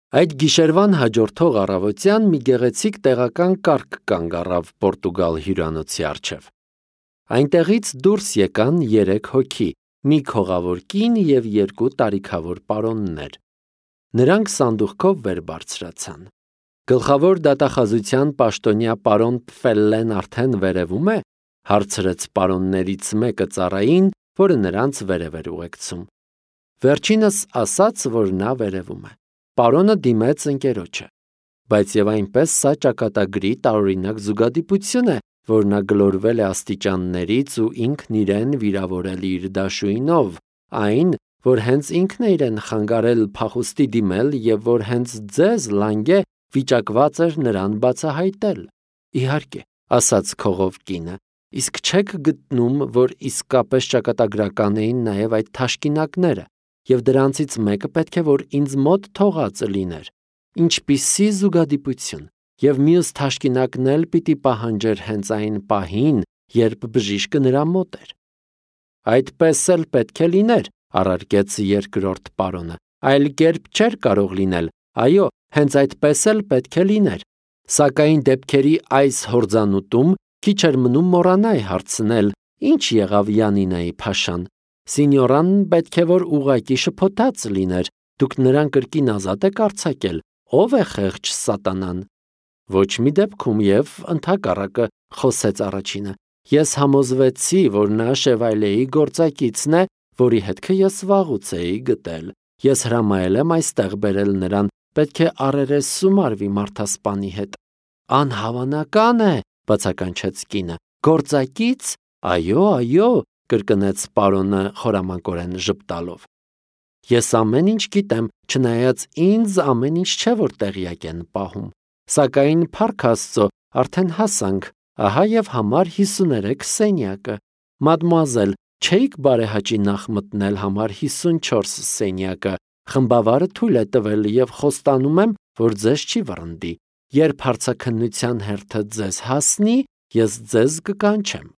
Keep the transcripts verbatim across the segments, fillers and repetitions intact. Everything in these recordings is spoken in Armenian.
Այդ գիշերվան հաջորդող առավոտյան մի գեղեցիկ տեղական կառք կանգ առավ Պորտուգալ հյուրանոցի առջև։ Այնտեղից դուրս եկան երեք հոգի, մի քողավոր կին և երկու տարիքավոր պարոններ։ Նրանք սանդուղքով վեր բարձրացան։ Գլխավոր դատախազության պաշտոնյա պարոն Պֆելլեն արդեն վերևում է, հարցրեց պարոններից մեկը ծառային, որը նրանց վերև էր ուղեկցում։ Վերջինս ասաց, որ նա վերևում է։ Պարոնը դիմեց ընկերոջը, բայց եւ այնպես սա ճակատագրի տարօրինակ զուգադիպություն է, որ նա գլորվել է աստիճաններից ու ինքն իրեն վիրավորել իր դաշույնով, այն, որ հենց ինքն է իրեն խանգարել փախուստի դիմել եւ որ հենց ձեզ լանգե վիճակված էր նրան բացահայտել։ Իհարկե, ասաց քողով կինը, իսկ չեք գտնում, որ իսկապես ճակատագրական էին նաեւ այդ թաշկինակները, եւ դրանցից մեկը պետք է որ ինձ մոտ թողած լիներ։ Ինչպիսի զուգադիպություն, եւ մյուս թաշկինակն էլ պիտի պահանջեր հենց այն պահին, երբ բժիշկը նրա մոտ էր։ Այդպես էլ պետք է լիներ, առարկեց երկրորդ պարոնը, այլ կերպ չէր կարող լինել, այո, հենց այդպես էլ պետք է լիներ, սակայն դեպքերի այս հորձանուտում քիչ էր մնում մոռանայի հարցնել, ինչ եղավ Յանինայի փաշան։ Սինյորան պետք է որ ուղակի շփոթած լիներ, դուք նրան կրկին ազատ եք արձակել, ով է խեղճ սատանան։ Ոչ մի դեպքում եւ ընդհակառակը, խոսեց առաջինը, ես համոզվեցի, որ նա Շևայլեի գործակիցն է, որի հետքը ես վաղուց էի գտել։ Ես հրամայել եմ այստեղ բերել նրան, պետք է առերեսում արվի մարդասպանի հետ։ Անհավանական է, բացականչեց կինը, գործակից, այո, այո, կրկնեց պարոնը խորամանկորեն ժպտալով։ Ես ամեն ինչ գիտեմ, չնայած ինձ ամեն ինչ չէ որ տեղյակ են պահում, սակայն փառք Աստծո, արդեն հասանք, ահա եւ համար հիսուներեք սենյակը։ Մադմուազել, չէիք բարեհաճի նախ մտնել համար հիսունչորս սենյակը, խմբավարը թույլ է տվել եւ խոստանում եմ, որ ձեզ չի վռնդի։ Երբ հարցաքննության հերթը ձեզ հասնի, ես ձեզ կկանչեմ։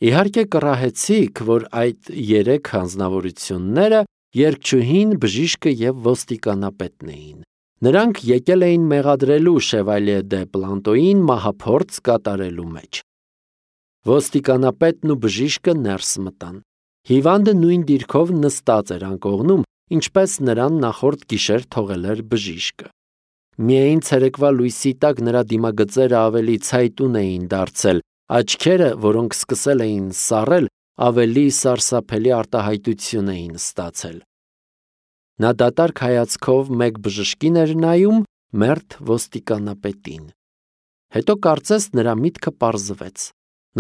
Իհարկե կռահեցիք, որ այդ երեք հանձնավորությունները երգչուհին, բժիշկը եւ ոստիկանապետն էին։ Նրանք եկել էին մեղադրելու Շևալյե դե Պլանտոյին մահափորձ կատարելու մեջ։ Ոստիկանապետն ու բժիշկը ներս մտան։ Հիվանդը նույն դիրքով նստած էր անկողնում, ինչպես նրան նախորդ գիշեր թողել էր բժիշկը։ Միայն ցերեկվա լույսի տակ նրա դիմագծերը ավելի ցայտուն էին դարձել, աչքերը, որոնք սկսել էին սառել, ավելի սարսափելի արտահայտություն էին ստացել։ Նա դատարկ հայացքով մեկ բժշկին էր նայում, մերթ ոստիկանապետին։ Հետո կարծես նրա միտքը պարզվեց։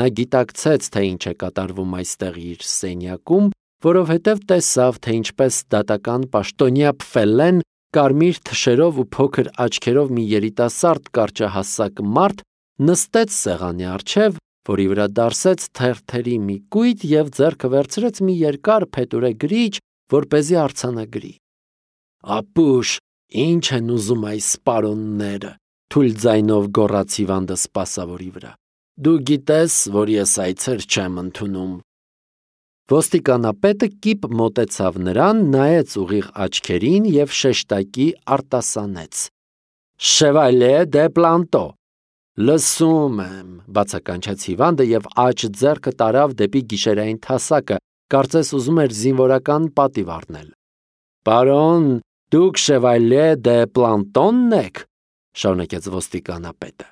Նա գիտակցեց, թե ինչ է կատարվում այստեղ իր սենյակում, որովհետև տեսավ, թե ինչպես դատական պաշտոնյա Պֆելլեն կարմիր թշերով ու փոքր աչքերով մի երիտասարդ կարճահասակ մարդ նստեց սեղանի առջև, որի վրա դարսեց թերթերի մի կույտ եւ ձեռքը վերցրեց մի երկար փետուրե գրիչ, որպեսզի արձանագրի։ Ապուշ, ինչ են ուզում այս սպարոնները, թույլ ձայնով գոռաց հիվանդը սպասավորի վրա։ Դու գիտես, որ ես այցեր չեմ ընդունում։ Ոստիկանապետը կիպ մոտեցավ նրան, նայեց ուղիղ աչքերին եւ շեշտակի արտասանեց. Շևալյե դե Պլանտո։ Լսում եմ, բացականչեց հիվանդը եւ աջ ձեռքը տարավ դեպի գիշերային թասակը, կարծես ուզում էր զինվորական պատիվ առնել։ Պարոն, դուք Շևալյե դե Պլանտոնն եք, շարունակեց ոստիկանապետը։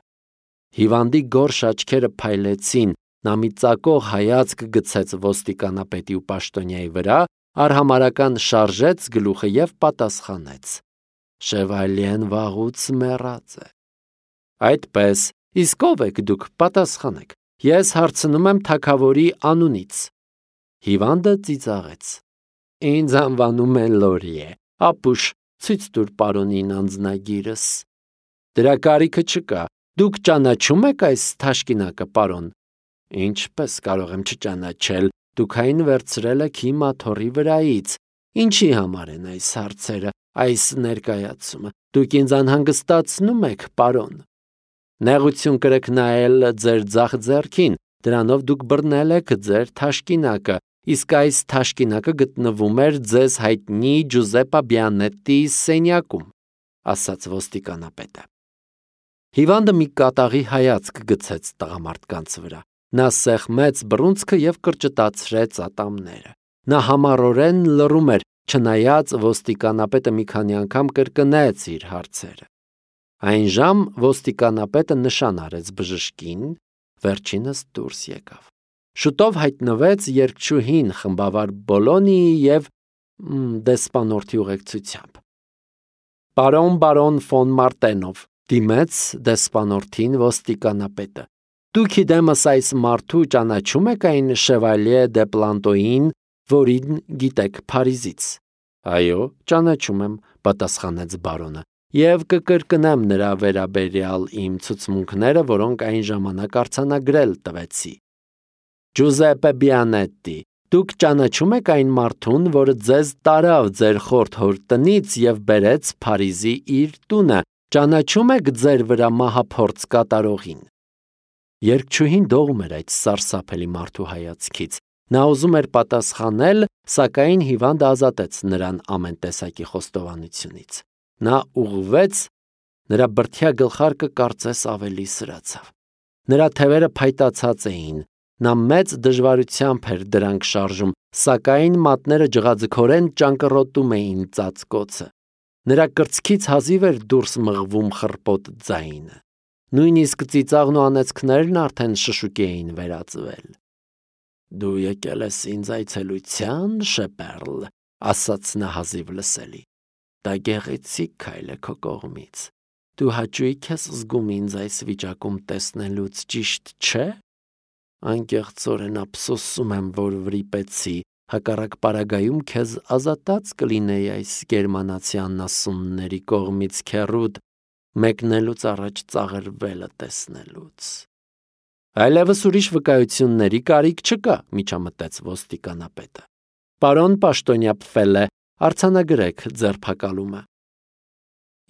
Հիվանդի գորշ աչքերը փայլեցին, նա մի ծակող հայացք գցեց ոստիկանապետի ու պաշտոնյայի վրա, արհամարական շարժեց գլուխը եւ պատասխանեց. Շևալյեն վաղուց մեռած է։ Այդպես, իսկ ով եք դուք, պատասխանեք։ Ես հարցնում եմ թագավորի անունից։ Հիվանդը ծիծաղեց. Ինձ անվանում են Լորիե, ապուշ, ցույց տուր պարոնին անձնագիրս։ Դրա կարիքը չկա, դուք ճանաչում եք այս թաշկինակը, պարոն։ Ինչպես կարող եմ չճանաչել, դուք այն վերցրել եք իմ աթոռի վրայից։ Ինչի համար են այս հարցերը, այս ներկայացումը։ Դուք ինձ անհանգստացնում եք, պարոն։ Նեղություն կրեք նայել ձեր ձախ ձեռքին, դրանով դուք բռնել եք ձեր թաշկինակը, իսկ այս թաշկինակը գտնվում էր ձեզ հայտնի Ջուզեպպե Բիանետտիի սենյակում։ ասաց ոստիկանապետը։ Հիվանդը մի կատաղի հայացք գցեց տղամարդկանց վրա։ Նա սեղմեց բռունցքը և կրճտացրեց ատամները։ Նա համառորեն լռում էր, չնայած ոստիկանապետը մի քանի անգամ կրկնեց իր հարցերը։ Այն ժամ ոստիկանապետը նշան արեց բժշկին, վերջինս դուրս եկավ։ Շուտով հայտնվեց երգչուհին խմբավար Բոլոնիի և դեսպանորդի ուղեկցությամբ։ Պարոն բարոն ֆոն Մարտենով, դիմեց դեսպանորդին ոստիկանապետը, դուք իդեմս այս մարդու ճանաչում եք այն Շևալյե դե Պլանտոյին, որին գիտեք Փարիզից։ Այո, ճանաչում եմ, պատասխանեց բարոնը, և կկրկնեմ նրա վերաբերյալ իմ ցուցմունքները, որոնք այն ժամանակ արձանագրել տվեցի։ Ջուզեպպե Բիանետտի, դուք ճանաչում եք այն մարդուն, որը ձեզ տարավ ձեր խորթ հոր տնից և բերեց Փարիզի իր տունը, ճանաչում եք ձեր վրա մահափորձ կատարողին։ Երգչուհին դողում էր այդ սարսափելի մարդու հայացքից։ Նա ուզում էր պատասխանել, սակայն հիվանդը ազատեց նրան ամեն տեսակի խոստովանությունից։ Նա ուղղվեց, նրա բրդյա գլխարկը կարծես ավելի սրացավ։ Նրա թևերը փայտացած էին, նա մեծ դժվարությամբ էր դրանք շարժում, սակայն մատները ջղաձգորեն ճանկռոտում էին ծածկոցը։ Նրա կրծքից հազիվ էր դուրս մղվում խռպոտ ձայնը։ Նույնիսկ ծիծաղն ու անեծքներն արդեն շշուկի էին վերածվել։ Դու եկել ես ինձ այցելության, Շեպերլ, ասաց նա հազիվ լսելի։ Դա գեղեցիկ քայլ է քո կողմից։ Դու հաճույք ես զգում ինձ այս վիճակում տեսնելուց, ճիշտ չէ։ Անկեղծորեն ափսոսում եմ, որ վրիպեցի, հակառակ պարագայում քեզ ազատած կլինեի այս գերմանացի անասունների կողմից քեռուդ մեկնելուց առաջ ծաղրվելը տեսնելուց։ Այլևս ուրիշ վկայությունների կարիք չկա, միջամտեց ոստիկանապետը։ Պարոն Պաշտոնյա Պֆելե, արձանագրեք ձերբակալումը։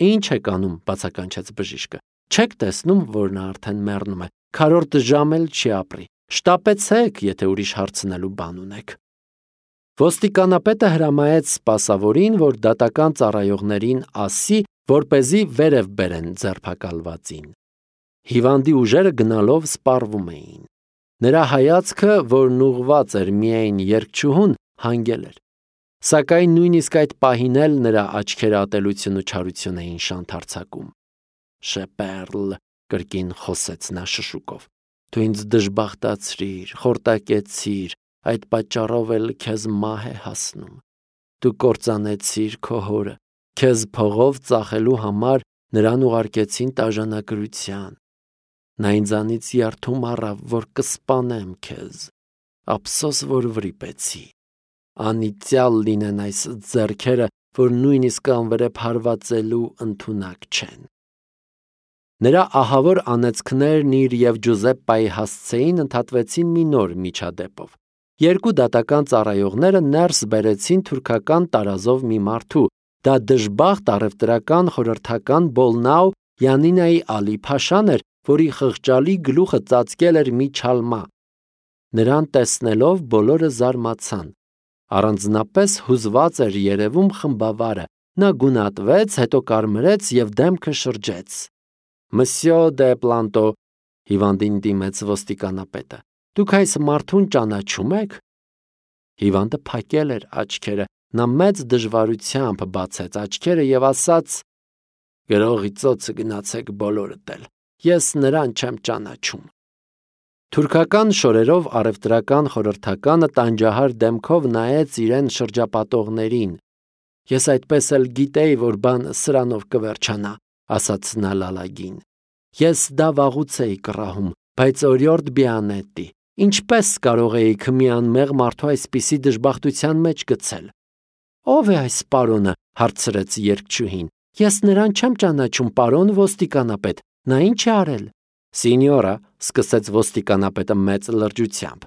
Ինչ եք անում, բացականչեց բժիշկը։ Չեք տեսնում, որ նա արդեն մեռնում է, քառորդ ժամ էլ չի ապրի։ Շտապեցեք, եթե ուրիշ հարցնելու բան ունեք։ Ոստիկանապետը հրամայեց սպասավորին, որ դատական ծառայողներին ասի, որպեսզի վերև բերեն ձերբակալվածին։ Հիվանդի ուժերը գնալով սպառվում էին։ Նրա հայացքը, որն ուղղված էր միայն երգչուհուն, հանգել էր։ Սակայն նույնիսկ այդ պահին էլ նրա աչքերը ատելություն ու չարություն էին շանթարցակում։ Շեպերլ, կրկին խոսեց նա շշուկով, դու ինձ դժբախտացրիր, խորտակեցիր, այդ պատճառով էլ քեզ մահ է հասնում։ Դու կործանեցիր քո հորը, քեզ փողով ծախելու համար նրան ուղարկեցին տաժանագրության։ Նա ինձանից երդում առավ, որ կսպանեմ քեզ։ Ափսոս, որ վրիպեցի։ Անիծյալ լինեն այս ձեռքերը, որ նույնիսկ անվրեպ հարվածելու ընդունակ չեն։ Նրա ահավոր անեծքներն իր և Ջուզեպպայի հասցեին ընդհատվեցին մի նոր միջադեպով։ Երկու դատական ծառայողները ներս բերեցին թուրքական տարազով մի մարդու, դա դժբախտ առևտրական խորհրդական Բոլնաու Յանինայի Ալի Փաշան էր, որի խղճալի գլուխը ծածկել էր մի չալմա։ Նրան տեսնելով բոլորը զարմացան։ Առանձնապես հուզված էր երևում խմբավարը։ Նա գունատվեց, հետո կարմրեց և դեմքը շրջեց։ Մսյո դե Պլանտո, հիվանդին դիմեց ոստիկանապետը, դուք այս մարդուն ճանաչում եք։ Հիվանդը փակել էր աչքերը, նա մեծ դժվարությամբ բացեց աչքերը և ասաց. Գրողի ծոցը գնացեք բոլորդ էլ, ես նրան չեմ ճանաչում։ Թուրքական շորերով առևտրական խորհրդականը տանջահար դեմքով նայեց իրեն շրջապատողներին։ Ես այդպես էլ գիտեի, որ բանը սրանով կվերջանա, ասաց նա լալագին։ Ես դա վաղուց էի կռահում, բայց օրիորդ Բիանետտի, ինչպես կարող էիք մի անմեղ մարդու այսպիսի դժբախտության մեջ գցել։ Ո՞վ է այս պարոնը, հարցրեց երգչուհին։ Ես նրան չեմ ճանաչում, պարոն ոստիկանապետ, նա ինչ է արել։ Սինյորա, սկսեց ոստիկանապետը մեծ լրջությամբ,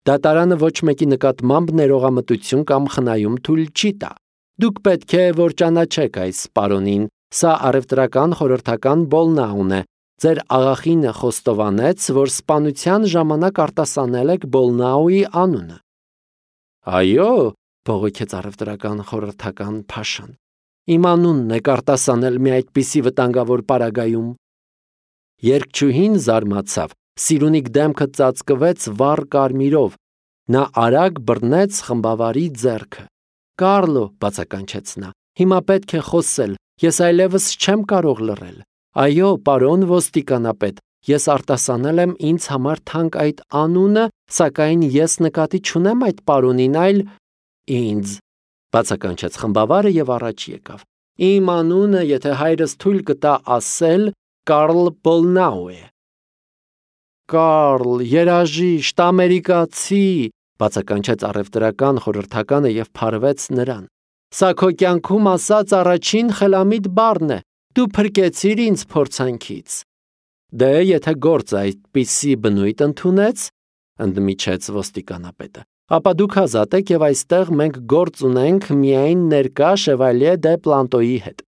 դատարանը ոչ մեկի նկատմամբ ներողամտություն կամ խնայում թույլ չի տա։ Դուք պետք է որ ճանաչեք այս պարոնին, սա առևտրական խորհրդական Բոլնաուն է։ Ձեր աղախինը խոստովանեց, որ սպանության ժամանակ արտասանել եք Բոլնաուի անունը։ Այո, բողոքեց առևտրական խորհրդական Փաշան։ Իմ անունն է արտասանել մի այդպիսի վտանգավոր պարագայում։ Երգչուհին զարմացավ, Սիրունիկ դեմքը ծածկվեց վառ կարմիրով, նա արագ բռնեց խմբավարի ձեռքը։ Կարլո, բացականչեց նա, հիմա պետք է խոսել, ես այլևս չեմ կարող լռել։ Այո, պարոն ոստիկանապետ, ես արտասանել եմ ինձ համար թանկ այդ անունը, սակայն ես նկատի չունեմ այդ պարոնին, այլ ինձ, բացականչեց խմբավարը և առաջ եկավ։ Իմ անունը, եթե հայրս թույլ կտա ասել, Կարլ Բոլնաու է։ Կարլ, երաժիշտ, ամերիկացի, բացականչեց առևտրական խորհրդականը և փարվեց նրան։ Սա քո կյանքում ասած առաջին խելամիտ բառն է, դու փրկեցիր ինձ փորձանքից։ Դե, եթե գործը այդպիսի բնույթ ընդունեց, ընդմիջեց ոստիկանապետը, ապա դուք ազատ եք և այստեղ մենք գործ ունենք միայն ներկա Շևալյե դե Պլանտոյի հետ։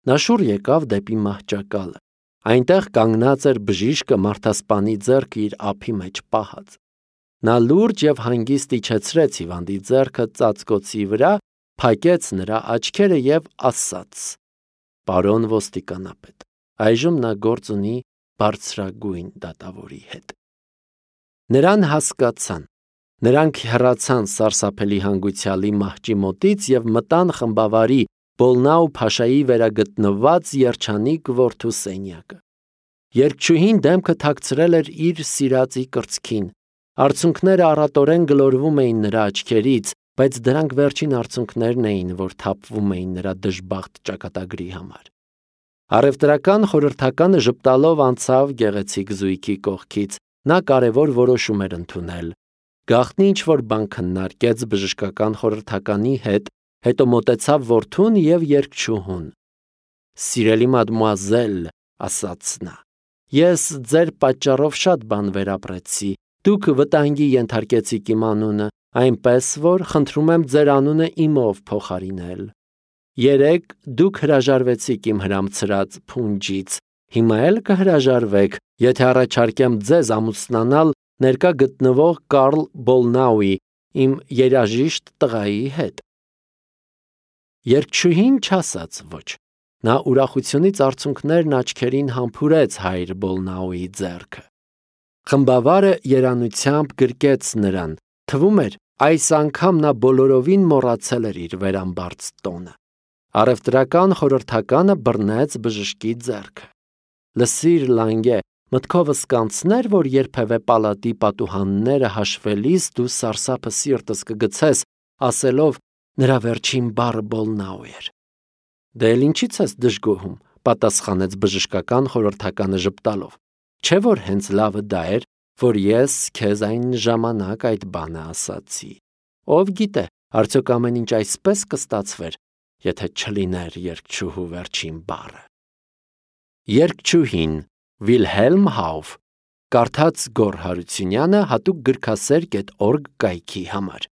Նա շուռ եկավ դեպի մահճակալը։ Այնտեղ կանգնած էր բժիշկը մարդասպանի ձեռքը իր ափի մեջ պահած։ Նա լուրջ և հանգիստ իջեցրեց հիվանդի ձեռքը ծածկոցի վրա, փակեց նրա աչքերը և ասաց. Պարոն ոստիկանապետ, այժմ նա գործ ունի բարձրագույն դատավորի հետ։ Նրան հասկացան։ Նրանք հեռացան սարսափելի հանգուցյալի մահճի մոտից և մտան խմբավարի Բոլնաու փաշայի վերագտնված երջանիկ որդու սենյակը։ Երգչուհին դեմքը թաքցրել էր իր սիրածի կրծքին։ Արցունքները առատորեն գլորվում էին նրա աչքերից, բայց դրանք վերջին արցունքներն էին, որ թափվում էին նրա դժբախտ ճակատագրի համար։ Առևտրական խորհրդականը ժպտալով անցավ գեղեցիկ զույգի կողքից, նա կարևոր որոշում էր ընդունել։ Գաղտնի ինչ-որ բան քննարկեց բժշկական խորհրդականի հետ, հետո մոտեցավ որդուն և երգչուհուն։ Սիրելի մադմուազել, ասաց նա, ես ձեր պատճառով շատ բան վերապրեցի, դուք վտանգի ենթարկեցիք իմ անունը, այնպես որ խնդրում եմ ձեր անունը իմով փոխարինել։ Երեկ դուք հրաժարվեցիք իմ հրամցրած փունջից, հիմա էլ կհրաժարվեք, եթե առաջարկեմ ձեզ ամուսնանալ ներկա գտնվող Կարլ Բոլնաուի, իմ երաժիշտ տղայի հետ։ Երգչուհին չասաց ոչ։ Նա ուրախությունից արցունքներն աչքերին համբուրեց հայր Բոլնաուի ձեռքը։ Խմբավարը երանությամբ գրկեց նրան, թվում էր, այս անգամ նա բոլորովին մոռացել էր իր վերամբարձ տոնը։ Առևտրական խորհրդականը բռնեց բժշկի ձեռքը։ Լսիր, Լանգե, մտքովս կանցներ, որ երբևէ պալատի պատուհանները հաշվելիս դու սարսափը սիրտս կգցես, ասելով նրա վերջին բառը Բոլնաու էր։ Դե էլ ինչի՞ց ես դժգոհում, պատասխանեց բժշկական խորհրդականը ժպտալով։ Չէ՞ որ հենց լավը դա էր, որ ես քեզ այն ժամանակ այդ բանը ասացի։ Ով գիտե, արդյոք ամեն ինչ այսպես կստացվեր, եթե չլիներ երգչուհու վերջին բառը։ Երգչուհին Վիլհելմ Հաուֆ, կարդաց Գոռ Հարությունյանը հատուկ գրքասեր կետ օրգ կայքի համար։